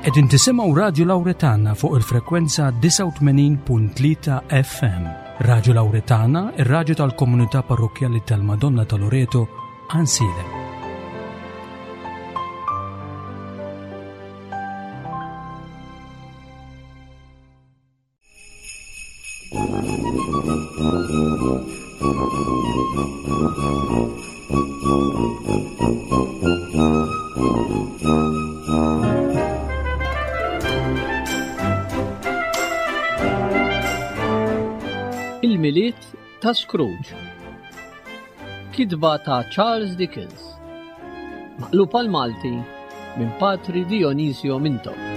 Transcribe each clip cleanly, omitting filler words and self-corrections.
Qegħdin tisimgħu Radju Lawretana fuq il-frekwenza 89.3 FM. Radju Lawretana, ir-radju tal-komunità parrokkjali tal-Madonna ta' Loreto, Ansilem. Il-Milied ta' Scrooge. Kitba ta' Charles Dickens. Maqlub għal Malti minn Patri Dionisio Mintoff.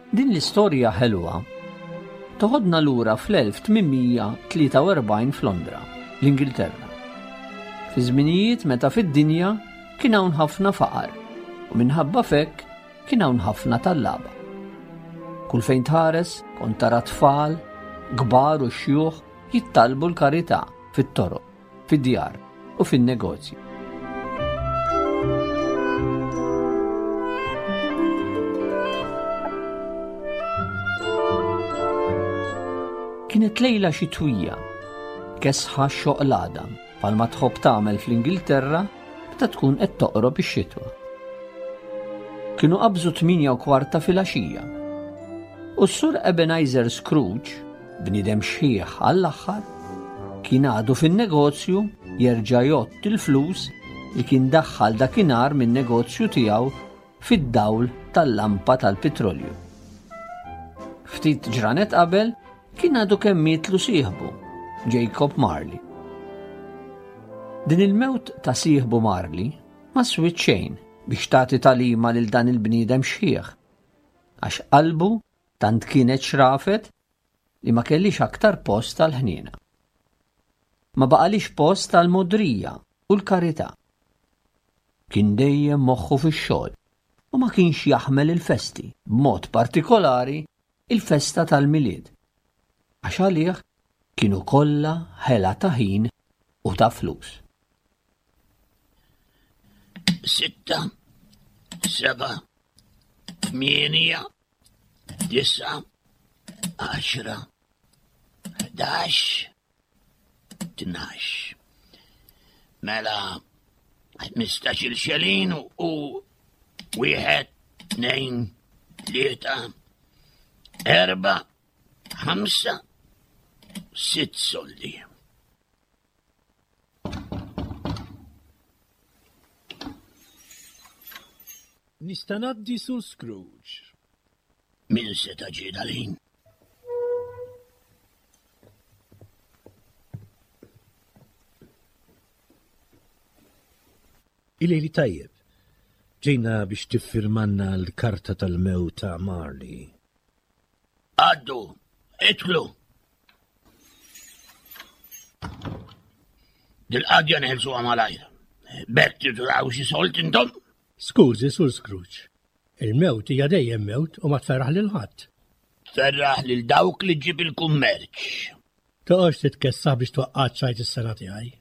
Din l-istorja ħelwa toħodna lura fl-1843 f'Londra, l-Ingilterra. Fi żminijiet meta fid-dinja kien hawn ħafna faqar u minħabba f'hekk kien hawn ħafna tallaba. Kull fejn tħares kont tara tfal, kbar u xjuħ jittalbu l-karità fit-toroq, fid-djar u fin-negozji. Kienet lejla xitwija, kesħa xoq l-għadam, bħalma tħobb tagħmel fl-Ingilterra meta tkun qed toqrob ix-xitwa. Kienu qabżu 8 u kwarta filgħaxija. U s-Sur Ebenezer Scrooge, bniedem xħiħ għall-aħħar, kien għadu fin-negozju jerġa' jgħodd il-flus li kien daħħal dakinhar min-negozju tiegħu fid-dawl tal-lampa tal-pitrolju. Ftit ġranet qabel kien għadu kemm mietlu sieħbu, Jacob Marley. Din il-mewt ta' sieħbu Marley ma swiet xejn biex tagħti tagħlima lil dan il-bniedem xħiħ, għax qalbu tant kienet xrafet li ma kellix aktar post għall-ħniena. Ma baqalix post għall-mogħdrija u l-karità. Kien dejjem moħħu fix-xogħol u ma kienx jaħmel il-festi, b'mod partikolari il-festa tal-Milied, għax għalih kienu kollha ħela ta' ħin u ta' flus. Sitta, seba', tmienja, disgħa, għaxra, 11, 12. Mela, 15 il-xelin u wieħed, tnejn, tlieta, erba, ħamsa, sitt soldi. Nista' ngħaddi Sur Scrooge. Min seta' ġie dal-ħin? Il-lejli tajjeb. Ġejna biex tiffirmanna l-karta tal-mewt ta' Marley. Għaddu, idħlu. Dil-qadja neħilsuha malajr. B'hekk tidraw xi solt intom? Skużi, Sur Scrooge. Il-mewt hija dejjem mewt u ma tferraħ lil ħadd. Tferraħ lil dawk li ġġib il-kummerċ. Toqgħodx titkessaħ biex twaqqa' ċ-ċajt is-sena tiegħi.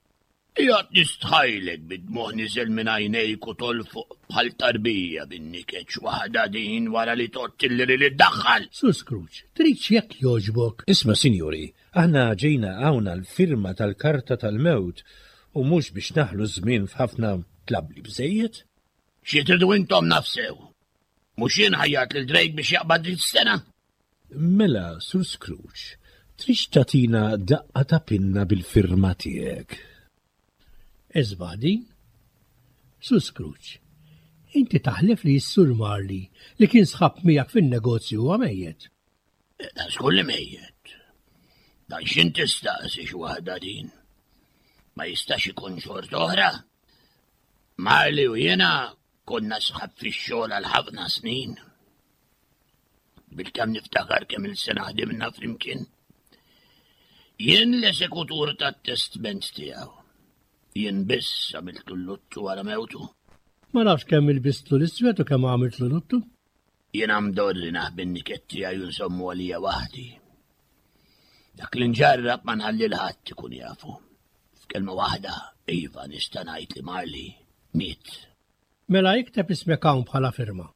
Qiegħed nistħajlek bid-dmugħ niżel minn għajnejk u tolfoq bħal tarbija bin-niket x'waħda din wara li tgħodd il-liri li ddaħħal! Sur Scrooge, tridx jekk jogħġbok? Isma' sinjuri, aħna ġejna hawn għall-firma tal-karta tal-mewt u mhux biex naħlu ż-żmien f'ħafna tlabli bżejjed. Xi tridu intom naf sew. Mhux jien ħajjart lil Drake biex jaqbad din is-sena? Mela, Sur Scrooge, tridx tagħtina daqqa ta' pinna bil-firma tiegħek? Isbaħ din. Sur Scrooge, inti taħlef li s-Sur Marley li kien sħab miegħek fin-negozju huwa mejjet. Dan żgur li mejjet. Dan x'int tistaqsi x'waħda din? Ma jistax ikun xorta oħra. Marley u jiena konna sħab fix-xogħol għal ħafna snin. Bilkemm niftakar kemm il-sena ħdimna flimkien. Jien l-esekutur tat-testment tiegħu. Jien biss għamiltu l-luttu wara mewtu. Ma nafx kemm ilbistlu l-iswed u kemm għamiltlu luttu. Jiena mdorri naħbi n-niket tiegħi u nsommu għalija waħdi. Dak li nġarrab ma nħalli l-ħadd ikun jafu. F'kelma waħda, iva nista' ngħid li Marley miet. Mela ikteb ismek hawn bħala firma.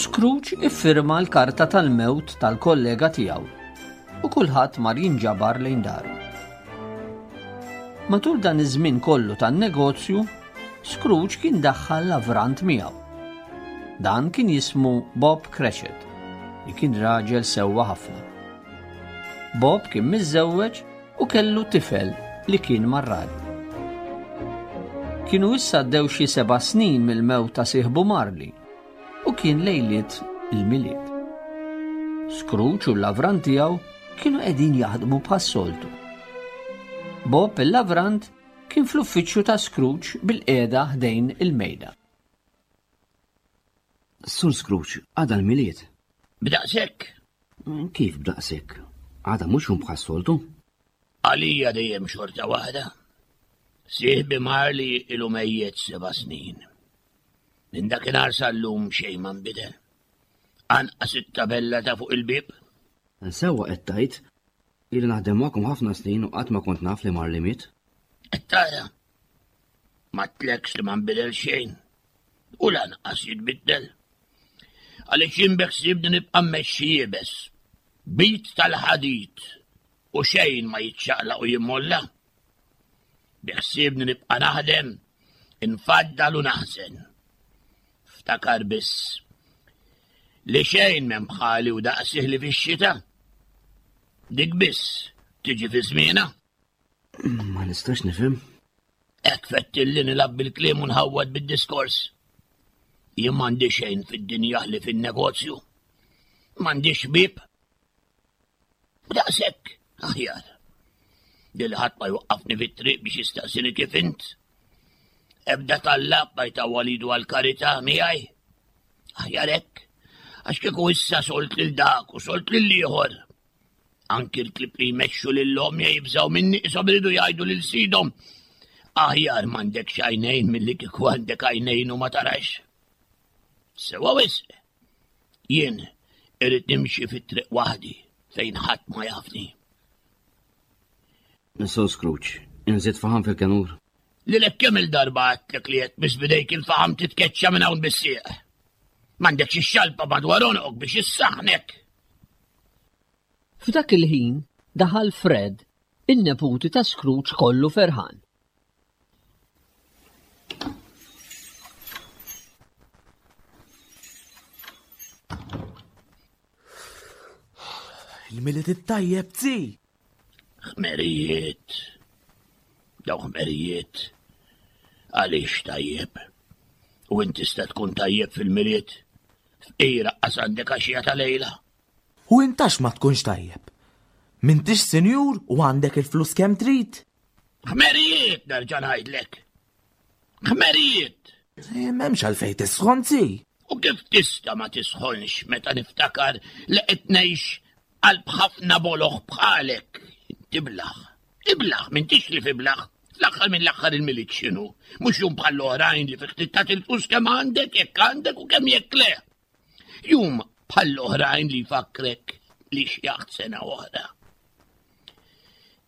Scrooge iffirma l-karta tal-mewt tal-kollega tiegħu u kulħadd mar jinġabar lejn daru. Matul dan iż-żmien kollu tan-negozju, Scrooge kien daħħal lavrant miegħu. Dan kien jismu Bob Cratchit, li kien raġel sewwa ħafna. Bob kien miżżewweġ u kellu tifel li kien marrad. Kienu issa għaddew xi seba' snin mill-mewt ta' sieħbu Marley u kien lejliet il-Milied. Scrooge u l-lavrant tiegħu kienu qegħdin jaħdmu bħas-soltu. Bob il-lavrant kien fl-uffiċċju ta' Scrooge bil-qiegħda ħdejn il-mejda. Sur Scrooge, għada l-Milied. B'daqshekk? Kif b'daqshekk? Għada mhux jum bħas-soltu? Għalija dejjem xorta waħda. Sieħbi Marley ilu mejjet seba' snin. Minn dakinhar sal-lum xejn ma nbidel. Anqas it-tabella ta' fuq il-bieb. Sewwa qed tgħid, ili naħdem magħkom ħafna snin u qatt ma kont naf li Marley miet. Qed tara? M'għedtlekx li ma nbidel xejn. U lanqas jitbiddel. Għaliex jien beħsiebni nibqa' mmexxi iebes. Bit tal-ħadid u xejn ma jiċċaqlaq u jimmolla. Biħsiebni nibqa' naħdem, infaddal u naħżen. Ftakar biss li xejn m'hemm bħali u daqsih li fix-xita. Dik biss tiġi fi żmienha. Ma nistax nifhem. Hekk fettilli nilgħab bil-kliem u nħawwad bid-diskors. Jien m'għandi xejn fid-dinja li fin-negozju. M'għandix ħbieb. Daqshekk aħjar. Lil ħadd ma jwaqqafni fit-triq biex jistaqsini kif int. Ebda tallab ma jtawwal idu għall-karità miegħi. Aħjar hekk, għax kieku issa solt lil dak u solt lil ieħor. Anki l-klib li jmexxu lil omja jibżgħu minni qishom iridu jgħidu lil sidhom. Aħjar m'għandekx għajnejn milli kieku għandek għajnejn u ma tarax. Sewa wisq. Jien irrid nimxi fit-triq waħdi fejn ħadd ma jafni. Sur Scrooge, inżid faħam fil-kenur. Lilek kemm il-darba għedtlek li jekk biss bidejk il-faħam titkeċċa minn hawn bis-sieq. M'għandekx ix-xalpa madwar għonqok biex issaħħnek. F'dak il-ħin daħal Fred, in-neputi ta' Scrooge kollu ferħan. Il-Milied it-tajjeb, zi! Ħmerijiet. Daw ħmerijiet. Għaliex tajjeb? U inti tista' tkun tajjeb fil-Milied? Fqira qas għandek għaxija ta' lejla. U intax ma tkunx tajjeb? M'intix sinjur u għandek il-flus kemm trid? Ħmerijiet nerġa' ngħidlek. Ħmerijiet! Eh, m'hemmx għalfejn tisħon zi. U kif tista' ma tisħonx meta niftakar li qed ngħix qalb ħafna boloħ bħalek. Tiblaħ, iblaħ, m'intix li fiblaħ. Fl-aħħar mill-aħħar il-Milied x'inhu? Mhux jum bħall-oħrajn li fih trid il-flus kemm għandek, jekk għandek u kemm jekk le. Jum bħall-oħrajn li jfakkrek li xjaħt sena oħra.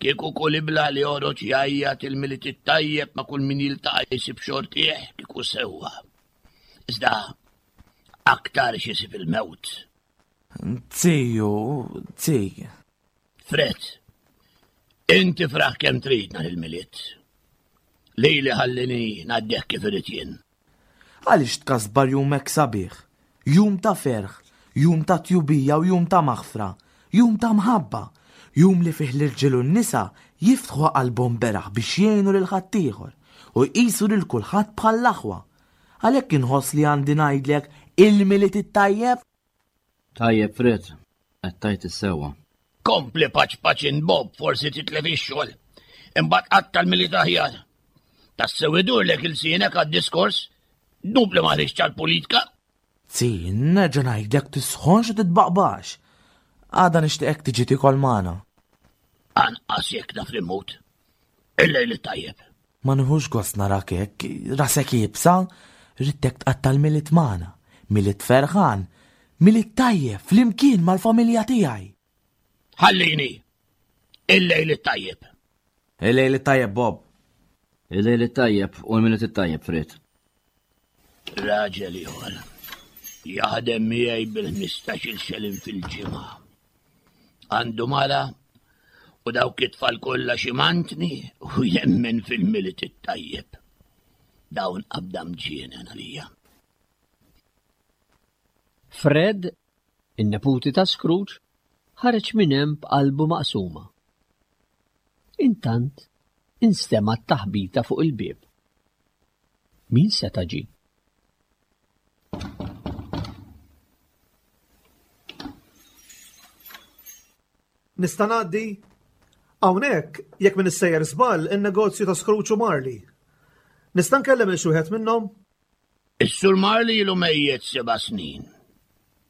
Kieku kull ibla li joħroġ jgħajjat il-Milied it-tajjeb ma' kull min jiltaqa' jsib xortih kieku sewwa. Iżda aktar x'isib il-mewt. Ziju, zi. Fred, inti fraħ kemm trid nhar il-Milied. Lili ħallini ngħaddih kif irid jien. Għaliex tkasbar jum hekk sabiħ? Jum ta' ferħ, jum ta' tjubija u jum ta' maħfra, jum ta' mħabba, jum li fih l-irġiel u n-nisa jiftħu qalbhom beraħ biex jgħinu lil ħaddieħor u jqisu lil kulħadd bħall-aħwa. Għalhekk inħoss li għandi ngħidlek il-Milied it-tajjeb! Tajjeb Fred, qed tgħid is-sewwa. Kompli paċ paċ int Bob, forsi titlef ix-xogħol. Imbagħad qatta' l-Milied aħjar. Tassew idurlek ilsienek għad-diskors, dnub li ma ħriġtx għall-politka. Zi, nerġa' ngħidlek tisħonx u titbaqbax. Għada nixtieqek tiġi tiekol magħna. Anqas jekk naf li mmut. Il-lejl it-tajjeb. Ma nieħux gost narak hekk, rasek iebsa, ridtek tqatta' l-Milied magħna. Milied ferħan, Milied tajjeb flimkien mal-familja tiegħi. Ħallini! Il-lejl it-tajjeb. Il-lejl it-tajjeb, Bob. Il-lejl it-tajjeb u l-Milied it-tajjeb, Fred. Raġel ieħor jaħdem miegħi bil-15-il xelin fil-ġimgħa. Għandu mara u dawk it-tfal kollha xi mantni u jemmen fil-Milied it-tajjeb. Dawn qabda mġienen għalija. Fred, in-neputi ta' Scrooge, ħareġ minn hemm b'qalbu maqsuma. Intant, instemgħet taħbita fuq il-bieb. Min seta' ġie? Nista' ngħaddi? Hawnhekk, jekk m'iniex sejjer żball, in-negozju ta' Scrooge u Marley. Nista' nkellem lil xi wieħed minnhom? Is-Sur Marley ilu mejjet seba' snin.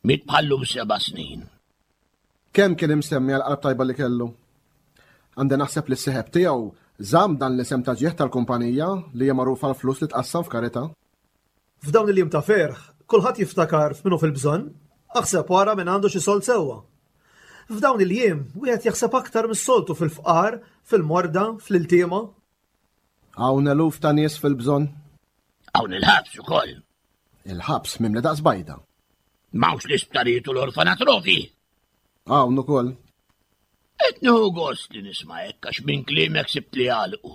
Miet bħal-lum seba' snin. Kemm kien imsemmi għall-qalb tajba li kellu. Għandi naħseb li s-sieħeb tiegħu żamm dan l-isem ta' ġieħ tal-kumpanija li hija magħrufa għall-flus li tqassam f'karità. F'dawn il-jiem ta' ferħ, kulħadd jiftakar f'min hu fil-bżonn, aħseb u ara min għandu xi sold sewwa. F'dawn il-jiem, wieħed jaħseb aktar mis-soltu fil-fqar, fil-morda, fl-iltiema. Hawn eluf ta' nies fil-bżonn. Hawn il-ħabs ukoll. Il-ħabs mimli daqs bajda. M'hawnx l-isptarijiet u l-orfanatrofi. Hawn ukoll. Qed nieħu gost li nisma' hekk għax minn kliemek sibt li għalqu.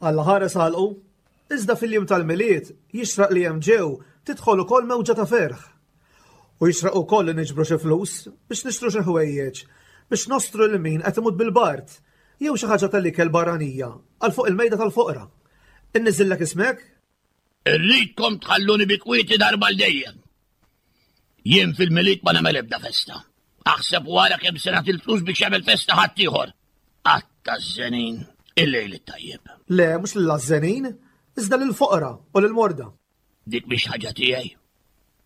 Alla ħares għalqu. Iżda fil-jiem tal-Milied jixraq li hemm ġew tidħol ukoll mewġa ta' ferħ. U jixraq ukoll li niġbru xi flus biex nixtru xi ħwejjeġ biex nostru lil min qed imut bil-bard jew xi ħaġa tal-ikel barranija għal fuq il-mejda tal-foqra. Inniżillek ismek? Irridkom tħalluni bi kwieti darba għal dejjem. Jien fil-Milied ma nagħmel ebda festa. Aħseb wara kemm se nagħti l-flus biex jagħmel festa ħaddieħor. Qatta żenin il-lejl it-tajjeb. Le, mhux lill-għażżenin, iżda lill-foqra u lill-morda. Dik mhix ħaġa tiegħi.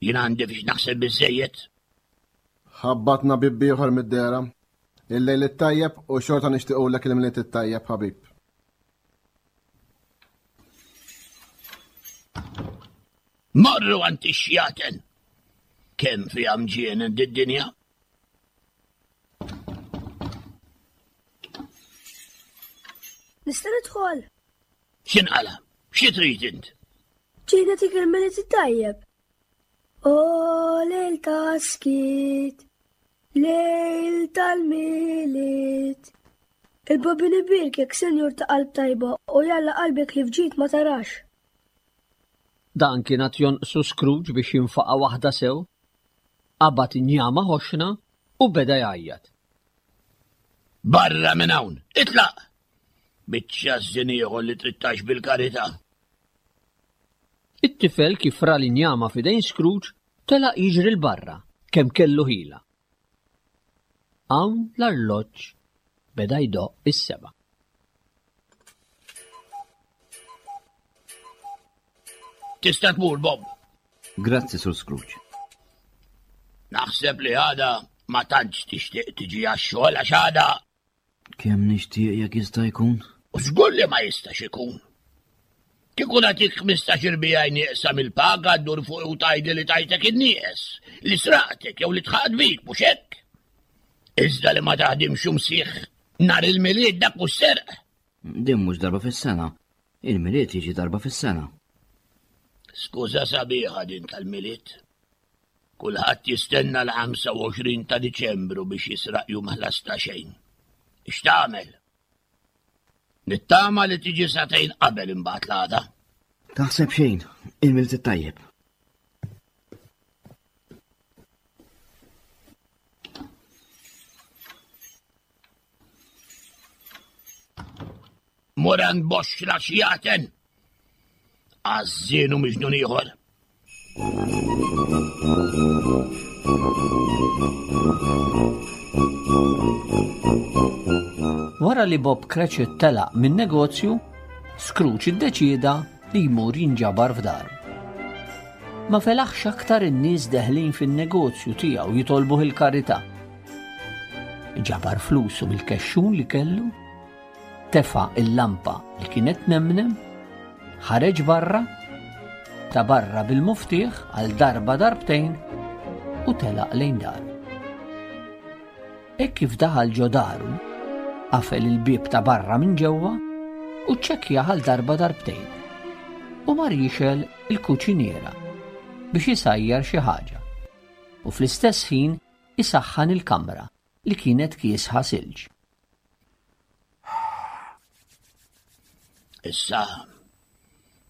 Jien għandi biex naħseb biżejjed. Ħabbatna bieb ieħor mid-dehra. Il-lejl it-tajjeb u xorta nixtiequlek il-Milied it-tajjeb, ħabib. Morru għand ix-xjaten. Kemm fiha mġienen did-dinja? Nista' nidħol? X'inqala? Xi trid int? Ġejna nagħtik il-Milied it-tajjeb. O lejl ta' skiet, lejl tal-Milied. Il-Bambin ibierkek, Senjur ta' qalb tajba, u jalla qalbek li fġid ma tarax. Dan kien għad jonqsu Scrooge biex jinfaqa' waħda sew. Qabad injama ħoxna u beda jgħajjat. Barra minn hawn! Itlaq! Biċċa żżien ieħor li trid tgħix bil-karità. It-tifel kif ra l-injama f'idejn Scrooge telaq jiġri 'l barra kemm kellu ħila. Hawn l-arloġġ beda jdoqq is-sebgħa. Tista' tmur, Bob. Grazzi, Sur Scrooge. Naħseb li għada ma tantx tixtieq tiġi għax-xogħol għax għada Kemm nixtieq jekk jista' jkun? U żgur li ma jistax ikun. Kieku nagħtik 15 irbijaj nieqsa mill-paga ddur fuq u tgħidli li tajtek in-nieqes, li sraqtek jew li tħaqt bik, mhux hekk? Iżda li ma taħdimx umsieħ nhar il-Milied dak mhux serq. Din mhux darba fis-sena. Il-Milied jiġi darba fis-sena. Skuża sabiħa din tal-Milied. Kulħadd jistenna l-25 ta' Diċembru biex jisraq jum ħlas ta' xejn. X'tagħmel? Nittama li tiġi sagħtejn qabel imbagħad l-għada. Taħseb xejn, il-Milied it-tajjeb. Mur għand boxra xjaten! Għażżien u miġnun ieħor. Wara li Bob Cratchit telaq min-negozju, Scrooge iddeċieda li jmur jinġabar f'daru. Ma felaħx aktar in-nies deħlin fin-negozju tiegħu jitolbuh il-karità. Ġabar flusu mill-kexxun li kellu, tefa' il-lampa li kienet nemnem, ħareġ barra, ta' barra bil-muftieħ għal darba darbtejn u telaq lejn daru. Hekk kif daħal ġo daru, qafel il-bieb ta' barra minn ġewwa u ċċekkjah għal darba darbtejn u mar jixgħel il-kuċiniera biex isajjar xi ħaġa u fl-istess ħin isaħħan il-kamra li kienet kiesħa silġ. Issa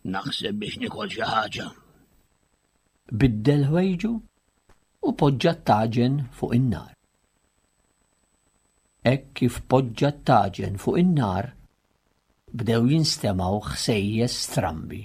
naħseb biex nikol xi ħaġa. Biddel ħwejġu u poġġa t-taġen fuq in-nar. Hekk kif poġġa t-taġen fuq in-nar, bdew jinstemgħu ħsejjes strambi.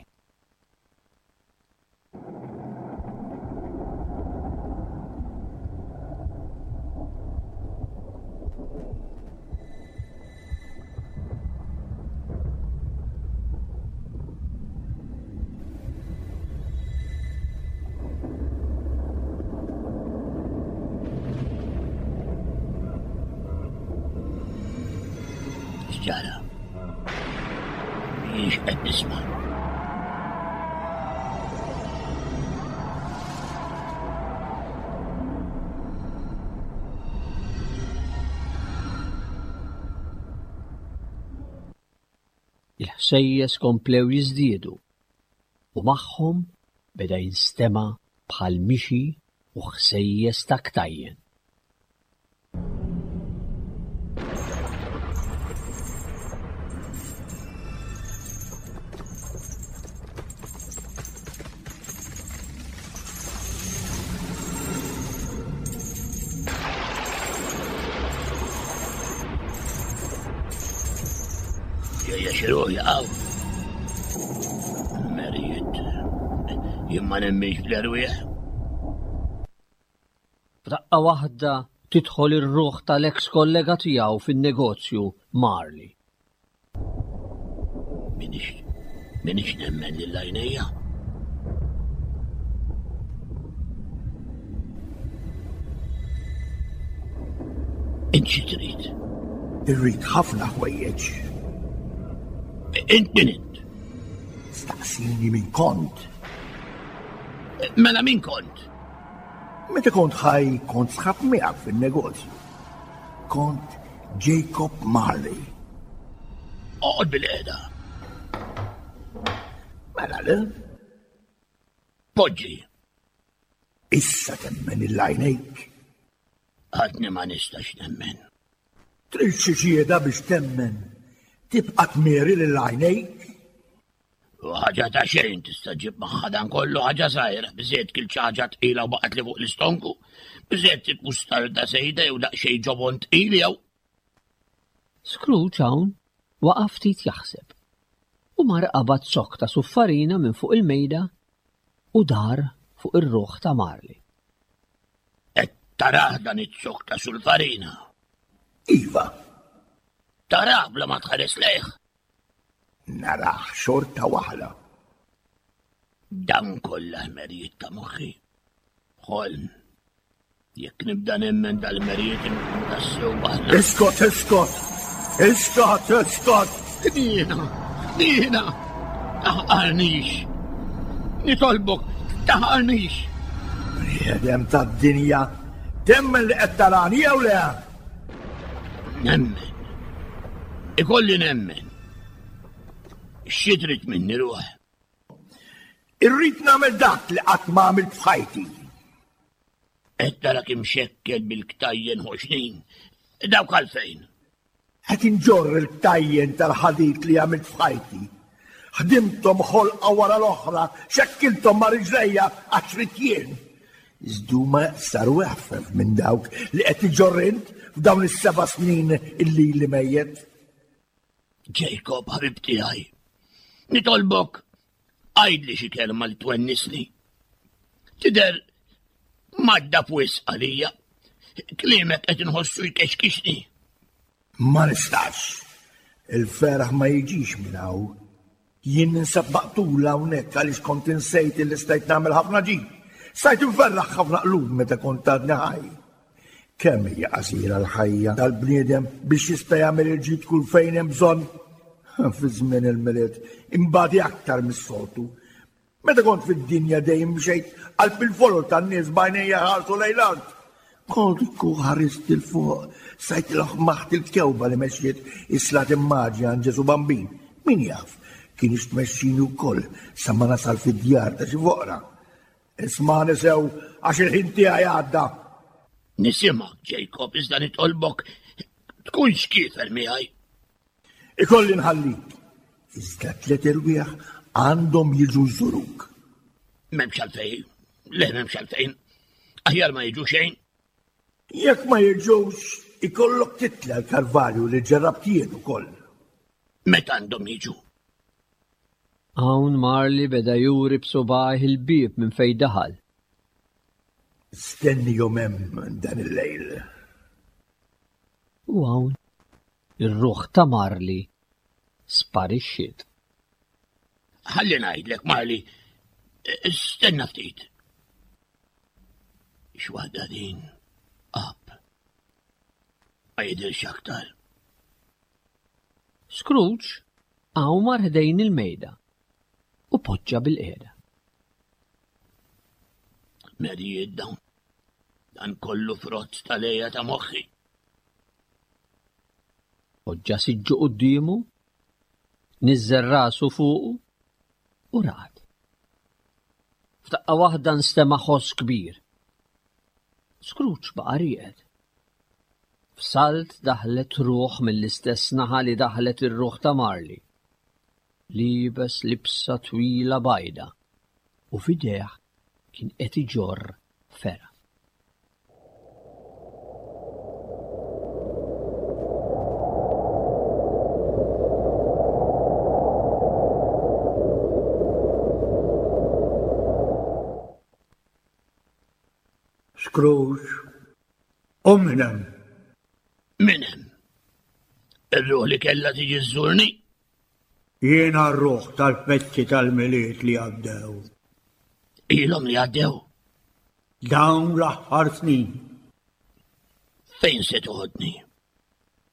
X'ġara? Mhix qed nisma'. Il-ħsejjes komplew jiżdiedu u magħhom beda jinstema' bħal mixi u ħsejjes ta' ktajjen. Ġejja xi ruħ jaqgħu. Merijiet. Jien ma nemminx bl-erwieħ. F'daqqa waħda tidħol ir-ruħ tal-eks kollega tiegħu fin-negozju Marley. Minix, minix nemmen lil għajnejja. Int xi trid? Irrid ħafna ħwejjeġ. Int min int? Staqsini min kont. Mela min kont? Meta kont ħaj kont sħab miegħek fin-negozju. Kont Jacob Marley. Oqgħod bil-qiegħda. Mela le? Poġġi. Issa temmen il-għajnejk. Għadni ma nistax nemmen. Trid xi xieda biex temmen. Tibqa' tmieri lil għajnejk. U ħaġa ta' xejn tista' ġib magħha dan kollu ħaġa żgħira, biżejjed kil xi ħaġa tqila u baqgħet li fuq l-istonku, biżejjed tip mustarda sejda jew daqsxejn ġobon tqil jew. Scrooge hawn waqaf ftit jaħseb u mar qabad zokk ta' suffarina minn fuq il-mejda u dar fuq ir-ruħ ta' Marley. Qed tarah dan iz-zokk ta' sulfarina? Iva. Tarah bla ma tħares lejh? Narah xorta waħda. Dan kollha ħmerijiet ta' moħħi. Ħolm. Jekk nibda nemmen dal-merijiet inkun tassew waħda. Iskot, iskot! Iskot, iskot! Ħniena, ħniena! Taħqarnix! Nitolbok, taħqarnix! Bniedem tad-dinja, temmen li qed tarani jew le? Nemmen. Ikolli nemmen. Xi trid minni ruħ? Irrid nagħmel dak li qatt ma għamilt f'ħajti. Qed tarak imxekkel bil-ktajjen ħoxnin. Dawk għalfejn? Qed inġorr il-ktajjen tal-ħadid li għamilt f'ħajti. Ħdimthom ħolqa wara l-oħra, xekkilthom ma' riġlejja għax ridt jien. Iżda huma saru eħfef minn dawk li qed iġorr int f'dawn is-seba' snin illi ili mejjet. Jacob, ħabib tiegħi, nitolbok għidli xi kelma li twennisni. Tidher madda f'wisq għalija. Kliemek qed inħossu jkexkixni. Ma nistax. Il-ferħ ma jiġix minn hawn. Jien ninsab maqtul hawnhekk għaliex kont insejt illi stajt nagħmel ħafna ġid. Stajt inferraħ ħafna qlub meta kont għadni ħaj. Kemm hija qasira l-ħajja tal-bniedem biex jista' jagħmel il-ġid kull fejn hemm bżonn. Fi żmien il-Milied imbagħad aktar mis-soltu. Meta kont fid-dinja dejjem mxejt qalb il-folol tan-nies b'għajnejja ħarsu lejn l-art. Kont kieku ħarist 'il fuq, stajt laħmaħt il-kewba li mexxiet is-slat immaġi għand Ġesù Bambin. Min jaf, kienx tmexxini wkoll sa ma nasal fid-djar ta' xi foqra. Ismagħni sew għax il-ħin tiegħi għadda. Nisimgħek, Jacob, iżda nitolbok tkunx kiefer miegħi. Ikolli nħallik. Iżda tlet irwieħ għandhom jiġu jżuruk. M'hemmx għalfejn, le m'hemmx għalfejn. Aħjar ma jiġu xejn. Jekk ma jiġux, ikollok titla l-kalvarju li ġerrabt jien ukoll. Meta għandhom jiġu? Hawn Marley beda juri b'subgħajh il-bieb minn fejn daħal. Stennihom hemm dan il-lejl. U hawn ir-ruħ ta' Marley sparixxiet. Ħalli ngħidlek, Marley, stenna ftit. X'waħda din? Ab. Ma jidhirx aktar. Scrooge hawn mar ħdejn il-mejda u poġġa bilqiegħda. Merijiet dawn. Dan kollu frott tal-għeja ta' moħħi. Poġġa siġġu quddiemu, niżżel rasu fuqu u raqad. F'daqqa waħda nstema' ħoss kbir. Scrooge baqa' rieqed. F'salt daħlet ruħ mill-istess naħa li daħlet ir-ruħ ta' Marley. Liebes libsa twila bajda u f'idejh kien qed iġorr fergħa. Scrooge, u min hemm? Min hemm? Ir-ruħ li kellha tiġi żżurni? Jiena r-ruħ tal-festi tal-Milied li għaddew. Ilhom li għaddew? Dawn l-aħħar snin. Fejn se toħodni?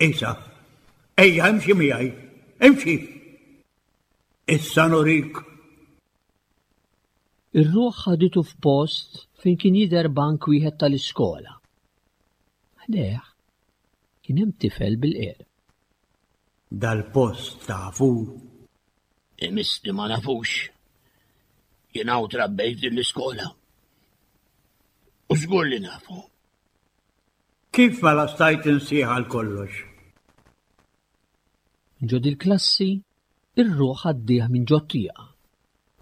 Isa, ejja imxi miegħi, imxi. Issa nurik. Ir-ruħ ħaditu f'post fejn kien jidher bank wieħed tal-iskola. Ħdejh kien hemm tifel bil-qiegħda. Dal-post tafu? Imissni ma nafux. Jien hawn trabbejt din l-iskola. U żgur li nafu. Kif mela stajt insieħ għal kollox? Ġo dil-klassi, ir-ruħ għaddih minn ġot-tieqa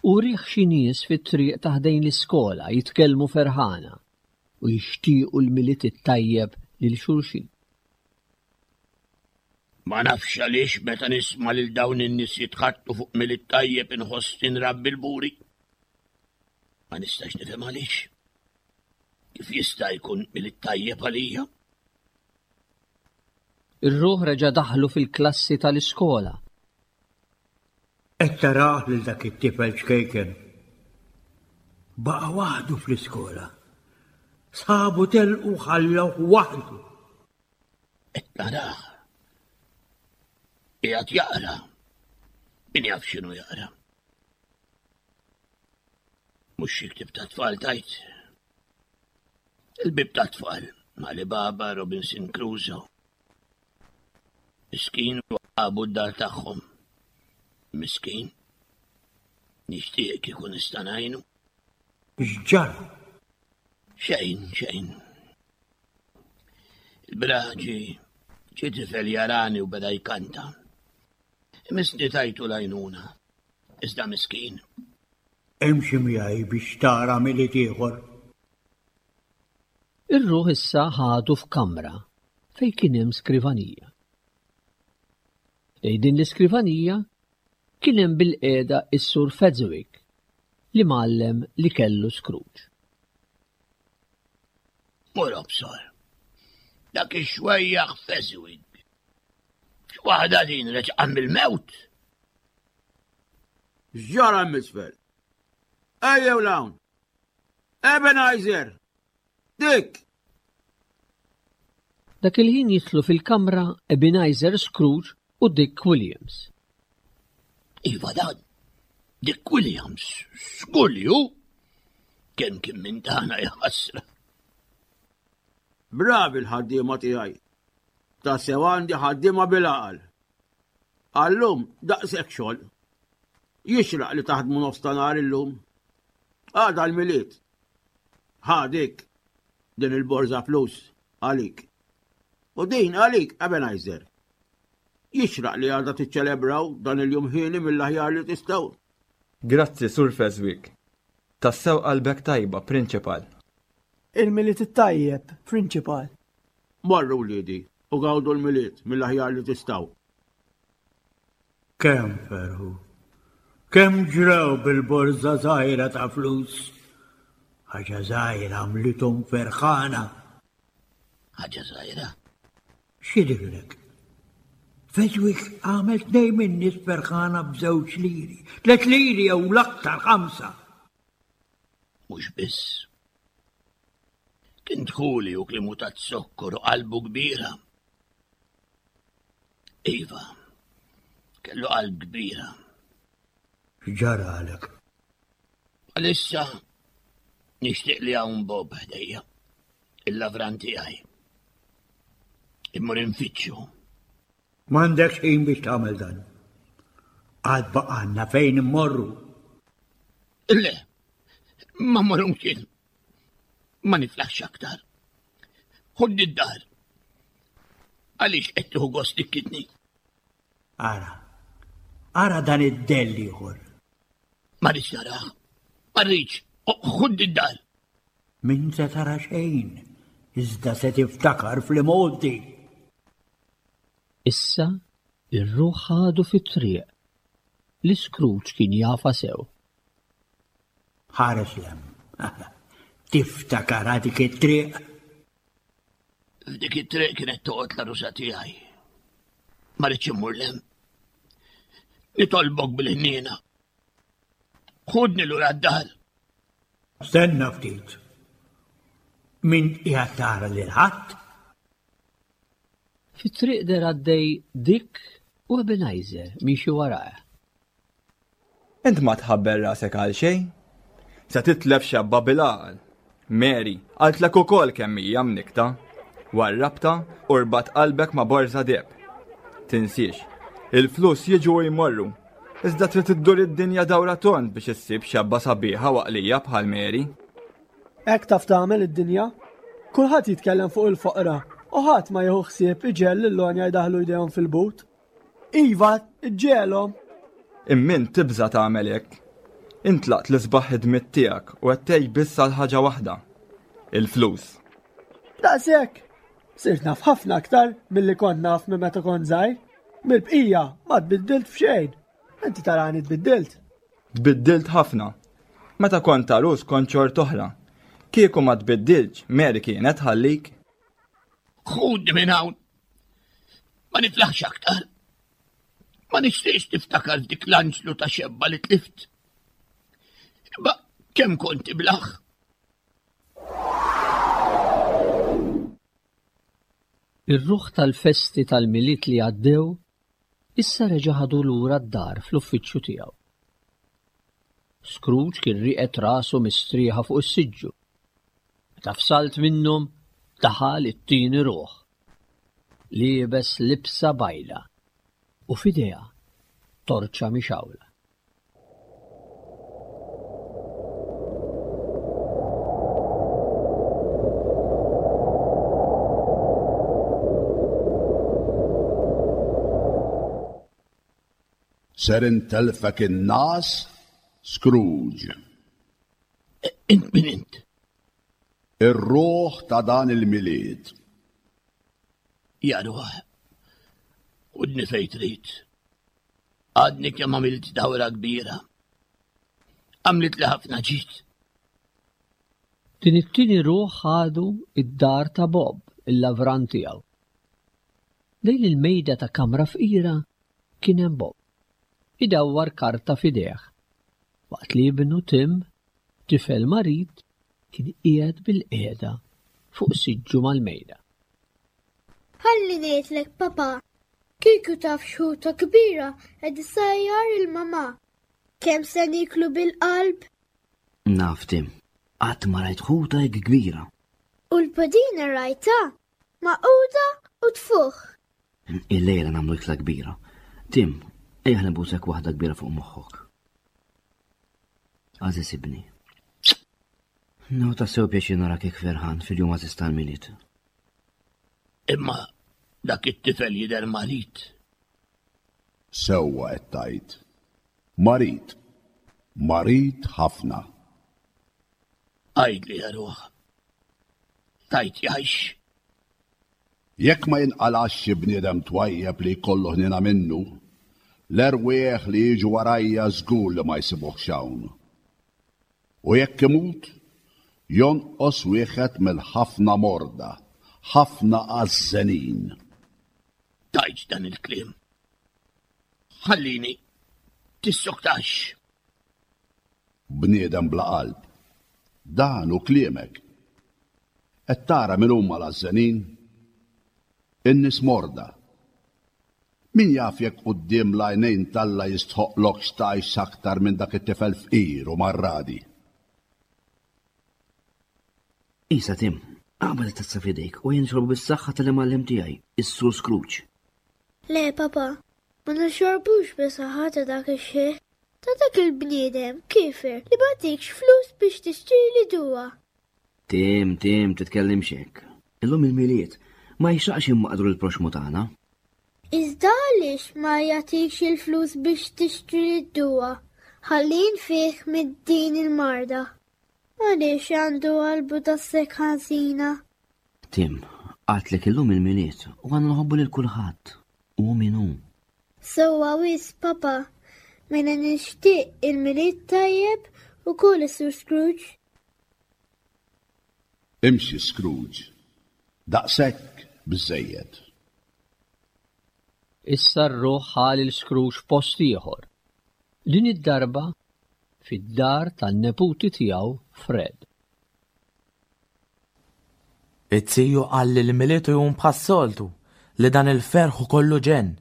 u rieh xi nies fit-triq ta' ħdejn l-iskola jitkellmu ferħana u jixtiequ l-Milied it-tajjeb lil xulxin. Ma nafx għaliex meta nisma' lil dawn in-nies jitħaddtu fuq Milied tajjeb inħossni nrabbi l-buri. Ma nistax nifhem għaliex. Kif jista' jkun Milied tajjeb għalija? Ir-ruħ reġa' daħlu fil-klassi tal-iskola. Qed tarah lil dak it-tifel ċkejken. Baqa' waħdu fl-iskola. Sħabu telqu ħallewh waħdu. Qed narah. Qiegħed jaqra. Min jaf x'inhu jaqra. Mhux xi ktieb ta' tfal tajt. Il-bib ta' tfal, Ali Baba, Robinson Crusoe. Miskin għabu d-dar tagħhom. Miskin. Nixtieq kieku nista' ngħinu. X'ġara? Xejn, xejn. Il-braġi ġie tifel jarani u beda jkanta. Misni tajtu lajnuna, iżda miskin. Imxi miegħi biex tara milied ieħor. Ir-ruħ issa ħadu f'kamra fejn kien hemm skrivanija. Ħdejn din l-iskrivanija kien hemm bilqiegħda s-Sur Fezziwig, l-imgħallem li kellu Scrooge. Mur obsor. Dak ix-xwejjaħ Fezziwig. X'waħda din reġqa' mill-mewt? X'ġara hemm isfel? Ejjew 'l hawn! Ebenezer! Dick! Dak il-ħin jidħlu fil-kamra Ebenezer Scrooge u Dick Williams. Iva dan, Dick Williams, żgur li hu. Kemm kien minn tagħna jaħasra. Bravi l-ħaddiema tiegħi. Tassew għandi ħaddiema bil-għaqal. Għallum daqshekk xogħol. Jixraq li taħdmu nofs ta' nhar illum. Għada l-Milied. Ħa dik din il-borża flus għalik. U din għalik, Ebenezer. Jixraq li għada tiċċelebraw dan il-jum ħieni mill-aħjar li tistgħu. Grazzi, Sur Feswick. Tassew qalbek tajba, Prinċipal. Il-Milied it-tajjeb, Prinċipal. Morru wliedi u gawdu l-Milied mill-aħjar li tistgħu. Kemm ferħu! Kemm ġrew bil-borża żgħira ta' flus! Ħaġa żgħira għamlithom ferħana. Ħaġa żgħira? X'jidhirlek? Fezwik għamel tnejn min-nies ferħana b'żewġ liri, tliet liri jew l-aktar ħamsa. Mhux biss. Kien dħuli u klimu ta' zokkor u qalbu kbira. Iva, kellu qalb kbira. X'ġaralek? Għalissa nixtieq li hawn Bob ħdejja, il-lavran tiegħi. Immur infittxu. M'għandekx ħin biex tagħmel dan. Għad baqgħalna fejn immorru. Le, ma mmorru mkien. Ma niflaħx aktar. Ħudni d-dar. Għaliex qed tieħu gost tikkitni? Ara, ara dan id-dell ieħor. Ma rridx narah. Ma rridx. Ħudni d-dar. Min se tara xejn, iżda se tiftakar fl-imgħoddi. Issa r-ruħ ħadu fit-triq li Scrooge kien jafha sew. Ħares 'l hemm. Tiftakarha dik it-triq? F'dik it-triq kienet toqgħod l-għarusa tiegħi. Ma rridx immur 'l hemm. Nitolbok bil-ħniena. Ħudni lura d-dar. Stenna ftit. Min qiegħed tara lil ħadd? Fit-triq deher għaddej Dick u Ebenezer miexi warajh. Int ma tħabbel rasek għal xejn. Se titlef xebba bil-għaqal. Mary, qaltlek ukoll kemm hija mnikkta. Warrabtha u rbatt qalbek ma' borża deheb. Tinsiex, il-flus jiġu u jmorru. Iżda trid iddur id-dinja dawra tond biex issib xebba sabiħa u għaqlija bħal Mary. Hekk taf tagħmel id-dinja. Kulħadd jitkellem fuq il-foqra u ħadd ma jieħu ħsieb iġegħel lill-għonja jdaħħlu jdejhom fil-but. Iva, iġġegħelhom! Imma int tibża' tagħmel hekk. Int tlaqt l-isbaħ ħidmiet tiegħek u qed tgħix biss għal ħaġa waħda, il-flus. Daqshekk! Sirt naf ħafna aktar milli kont naf minn meta kont żgħir. Mill-bqija ma tbiddilt f'xejn. Inti tarani tbiddilt. Tbiddilt ħafna. Meta kont għarus kont xort'oħra. Kieku ma tbiddiltx, Mary kienet tħallik. Ħudni minn hawn. Ma niflaħx aktar. Ma nixtieqx niftakar f'dik l-anġlu ta' xebba li tlift. Imma kemm kont iblaħ. Ir-ruħ tal-festi tal-Milied li għaddew issa reġa' ħadu lura d-dar fl-uffiċċju tiegħu. Scrooge kien rieqed rasu mistrieħa fuq is-siġġu. Meta f'salt minnhom daħal it-tieni ruħ. Liebes libsa bajda u f'idejha torċa mixgħula. Ser intellfek in-nas, Scrooge. Int min int? Ir-ruħ ta' dan il-Milied. Ja ruħ, ħudni fejn trid. Għadni kemm għamilt dawra kbira. Għamlitli ħafna ġid. Din it-tieni ruħ ħadu id-dar ta' Bob, il-lavran tiegħu. Lejn il-mejda ta' kamra fqira kien hemm Bob, idawwar karta f'idejh, waqt li ibnu Tim, tifel marid, kien qiegħed bilqiegħda fuq siġġu mal-mejda. Ħalli ngħidlek papa, kieku taf x'ħuta kbira qed issajjar il-mamà. Kemm se nieklu bil-qalb? Naf Tim, qatt ma rajt ħuta hekk kbira. U l-pudina rajtha, magħquda u tfuħ. Illejla nagħmlu ikla kbira. Tim, ejja nibusek waħda kbira fuq moħħok. Għażiż ibni. Nieħu tassew pjaċir narak hekk ferħan fil-jum għażiż tal-Milied. Imma dak it-tifel jidher marid. Sewwa qed tgħid. Marid. Marid ħafna. Għidli ja ruħ. Tgħid jgħix? Jekk ma jinqalax xi bniedem twajjeb li jkollu ħniena minnu, l-erwieħ li jiġu warajja żgur li ma jsibuhx hawn. U jekk imut, jonqos wieħed mill-ħafna morda, ħafna għażżenin. Tgħidx dan il-kliem. Ħallini, tissoktax. Bniedem bla qalb. Dan hu kliemek. Qed tara min huma l-għażżenin? In-nies morda. Min jaf jekk quddiem l-għajnejn t'Alla jistħoqqlokx tgħix aktar minn dak it-tifel fqir u marradi. Isa, Tim, aqbad it-tazza f'idejk u ejja nixorbu bis-saħħa tal-imgħallem tiegħi, is-Sur Scrooge. Le, papa, ma nixorbux bis-saħħa ta' dak ix-xiħ, ta' dak il-bniedem kiefer li ma tikx flus biex tixtrili duwa. Tim, Tim, titkellimx hekk. Illum il-Milied, ma jixraqx immaqdru lill-proxxmu tagħna. Iżda għaliex ma jagħtikx il-flus biex tixtrili d-duwa ħalli nfih minn din il-marda? Għaliex għandu qalbu daqshekk ħażina? Tim, għadtlek illum il-Milied u għandna nħobbu lil kulħadd, hu min hu. Sewwa wisq, Papa. Mela nixtieq il-Milied tajjeb ukoll is-Sur Scrooge. Imxi Scrooge. Daqshekk biżżejjed. Issa r-ruħ ħa lil Scrooge f'post ieħor, din id-darba fid-dar tan-neputi tiegħu Fred. It-tiju qal li l-Milied hu jum bħas-soltu, li dan il-ferħ hu kollu ġenn.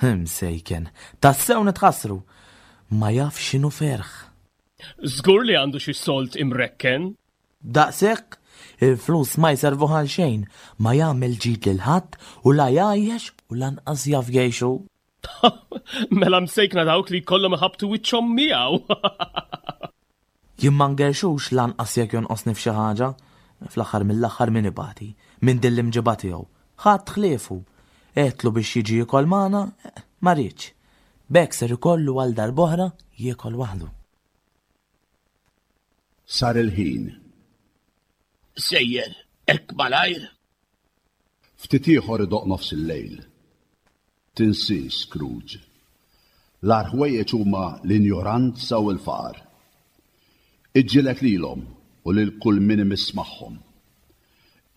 Imsejken, tassew nitħassru! Ma jaf x'inhu ferħ. Żgur li għandu xi sold imrekken. Daqshekk, il-flus ma jservuh għal xejn, ma jagħmel ġid lil ħadd u la jgħajjex u lanqas jaf jgħix hu. Mela msejkna dawk li jkollhom iħabbtu wiċċhom miegħu. Jien ma ngerxux lanqas jekk jonqosni f'xi ħaġa. Fl-aħħar mill-aħħar min ibati minn din l-imġiba tiegħu? Ħadd ħliefu. Għedtlu biex jiġi jiekol magħna, ma riedx. B'hekk ser ikollu għal darb'oħra jiekol waħdu. Sar il-ħin. Sejjer hekk malajr? Ftit ieħor idoqq nofs il-lejl. Tinsiex, Scrooge. L-agħar ħwejjeġ huma l-injoranza u l-faqar. Iġġieled lilhom u lil kull min imiss magħhom.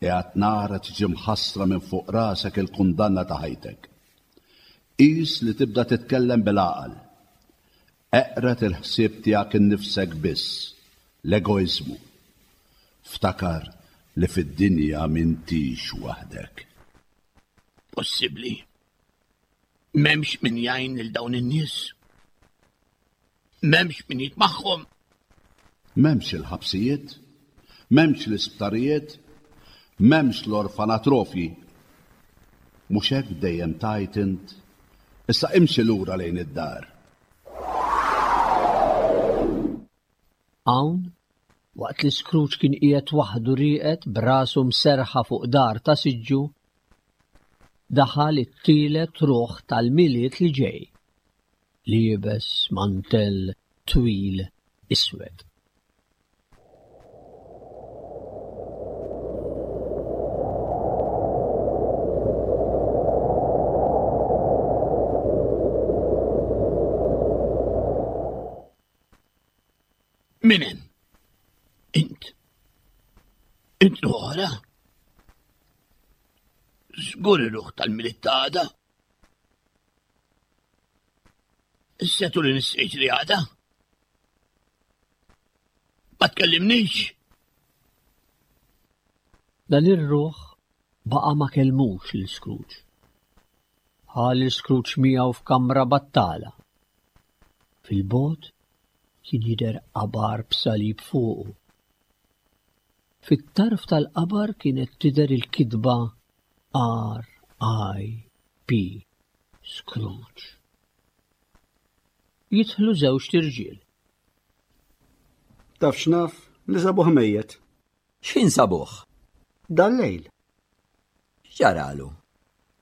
Qiegħed nara tiġi mħassra minn fuq rasek il-kundanna ta' ħajtek. Qis li tibda titkellem bil-għaqal. Eqred il-ħsieb tiegħek innifsek biss, l-egoiżmu. Ftakar li fid-dinja m'intix waħdek. Possibbli. M'hemmx min jgħin lil dawn in-nies. M'hemmx min jitmagħhom. M'hemmx il-ħabsijiet, m'hemmx l-isptarijiet, m'hemmx l-orfanatrofji. Mhux hekk dejjem tgħid int? Issa imxi lura lejn id-dar. Hawn, waqt li Scrooge kien qiegħed waħdu rieqed b'rasu mserrħa fuq dar ta' siġġu, daħal it-tielet ruħ tal-Milied li ġej, liebes mantell twil iswed. Min hemm? Int. Int l-oħra? Żgur ir-ruħ tal-Milied ta' għada. Is-setu li nissejt li għada. Ma tkellimnix. Dan ir-ruħ. Baqa' ma kellmux lil Scrooge. Ħa lil Scrooge miegħu f'kamra battala. Fil-bogħod kien jidher qabar b'salib fuqu. Fit-tarf tal-qabar kienet tidher il-kitba R.I.P. Scrooge. Jidħlu żewġt irġiel. Taf x'naf li sabuh mejjet. X'ħin sabuh? Dal-lejl. X'ġaralu?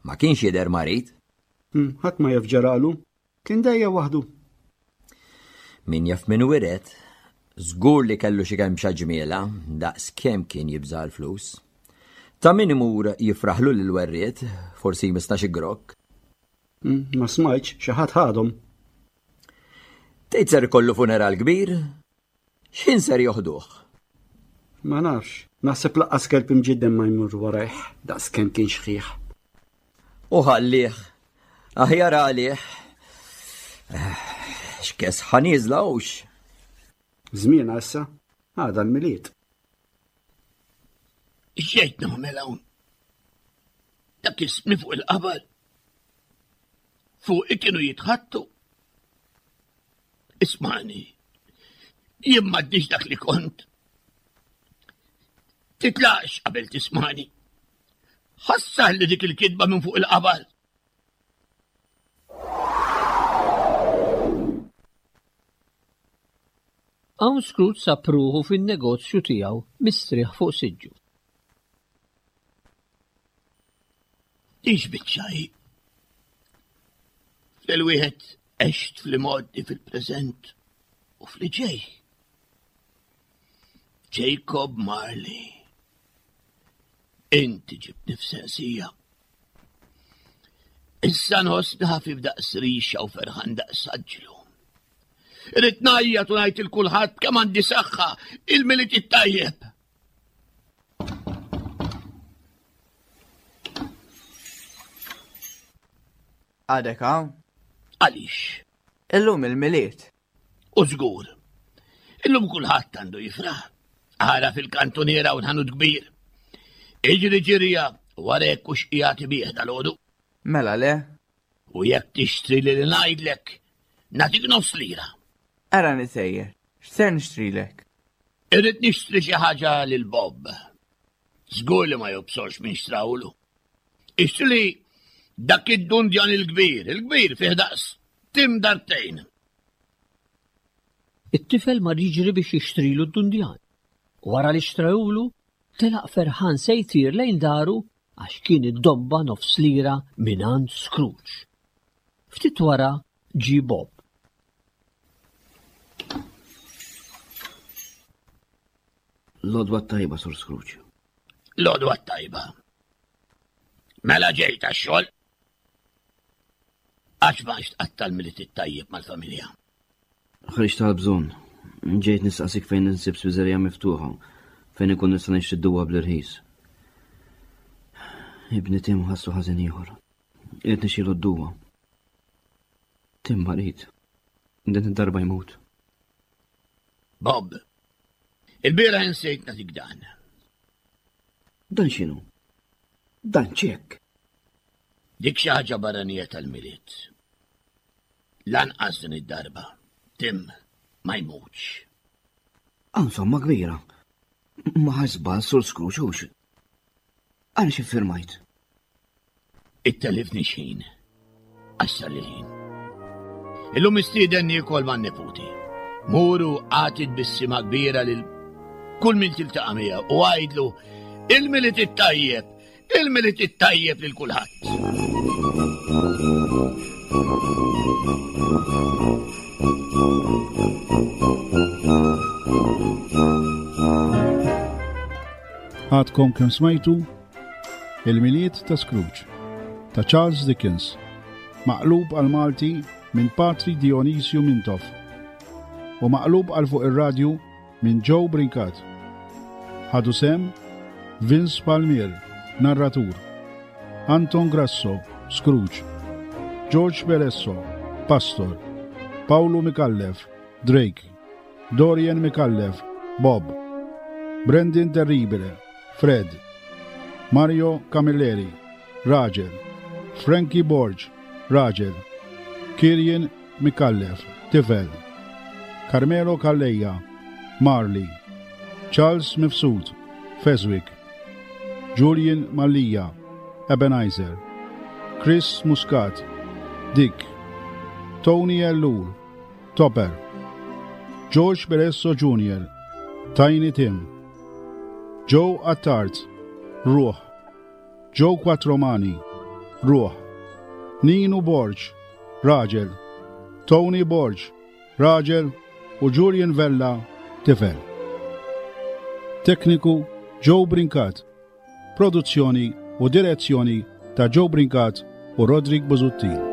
Ma kienx jidher marid? Hmm, ħadd ma jaf ġaralu. Kien dejjem waħdu. Min jaf min wiret, żgur li kellu xi kemxa ġmiela daqs kemm kien jibża' l-flus. Ta' min imur jifraħlu lil werriet, forsi jmissna xi grokk. Hmm, ma smajtx xi ħadd ħadhom. Tgħid ser ikollu funeral kbir? X'ħin ser joħduh? Ma nafx, naħseb laqqas kelb imġiddem ma jmur warajh daqs kemm kien xħiħ. U ħallih, aħjar għalih. X'kes ħaniżla hux. Żmiena issa, għada l-Milied. Xejt nagħmel hawn? Dak ismi fuq il-qabar. Fuq kienu jitħattu. Ismani, jien m'għaddix dak li kont. Titlaqx qabel tismani. Ħassar li dik il-kitba minn fuq il-qabar. Hawn Scrooge sab ruħu fin-negozju tiegħu mistrieħ fuq siġġu. Ix biċċa hi. Fil-wieħed għext fl-imgħoddi fil-preżent u fl-ġej. Jacob Marley. Inti ġibtni f'sensija. Issa nħossni ħafif daqs rixa u ferħan daqs aġlu. Irrid ngħajjat u ngħid il kulħadd kemm għandi saħħa il-Milied it-tajjeb. Għadek hawn? Għaliex? Illum il-Milied. U żgur. Illum kulħadd għandu jifraħ. Ara fil-kantuniera u ħanut kbir. Iġri ġirja warek u xqijati bih dal-għodu. Mela le? U jekk tixtri li ngħidlek, nagħtik nofs lira. Ara nisejjer, x'ser nixtrilek? Irrid nixtri xi ħaġa lil Bob. Żgur li ma jobsorx minn xtrawlu. Ixtri dak id-dundjan il-kbir, il-kbir fih daqs tim darbtejn. It-tifel mar jiġri biex jixtrilu d-dundjan. Wara li xtrahulu, telaq ferħan se jtir lejn daru għax kien iddobba nofs lira mingħand Scrooge. Ftit wara ġie Bob. L-għodwa t-tajba, Sur Scrooge. L-għodwa t-tajba. Mela ġejt għax-xogħol. Għax ma tqatta' l-Milied it-tajjeb mal-familja. Ħriġt tal-bżonn. Ġejt nistaqsik fejn insib spiżerija miftuħa, fejn ikun nista' nixtri d-duwa bl-irħis. Ibni Tim ħassu ħażin ieħor. Irid nixxilu d-duwa. Tim marid. Din id-darba jmut. Bob, il-bieraħ insejt nagħtik dan. Dan x'inhu? Dan ċekk. Dik xi ħaġa barranija tal-Milied. Lanqas din id-darba, Tim ma jmutx. Hawn somma kbira. Ma ħax żball sur Scrooge hux. Għaliex iffirmajt? Ittelifni x'ħin. Għax sar il-ħin. Illum mistieden niekol man-neputi. Muru għati tbissima kbira lil kull min tiltaqa' miegħu u għidlu il-Milied it-tajjeb, il-Milied it-tajjeb lil kulħadd. Għadkom kemm smajtu Il-Milied ta' Scrooge ta' Charles Dickens, maqlub għal Malti minn Patri Dionisju Mintoff u maqlub għal fuq ir-radju minn Joe Brincat. Ħadu sehem Vince Palmier, narratur, Anton Grasso, Scrooge, George Peresso, Pastor, Paolo Micallef, Drake, Dorian Micallef, Bob, Brendan Terribile, Fred. Mario Camilleri, raġel. Frankie Borg, raġel. Kirjen Micallef, tifel. Carmelo Calleja, Marley. Charles Mifsud, Feswick. Julian Mallia, Ebenezer. Chris Muscat, Dick. Tony Ellul, Topper. George Beresso Jr., Tiny Tim. Joe Attard, Ruħ. Joe Quattromani, Ruħ. Ninu Borg, Raġel. Tony Borg, Raġel u Julian Vella, Tifel. Tekniku Joe Brincat. Produzzjoni u direzzjoni ta' Joe Brincat u Roderick Busuttil.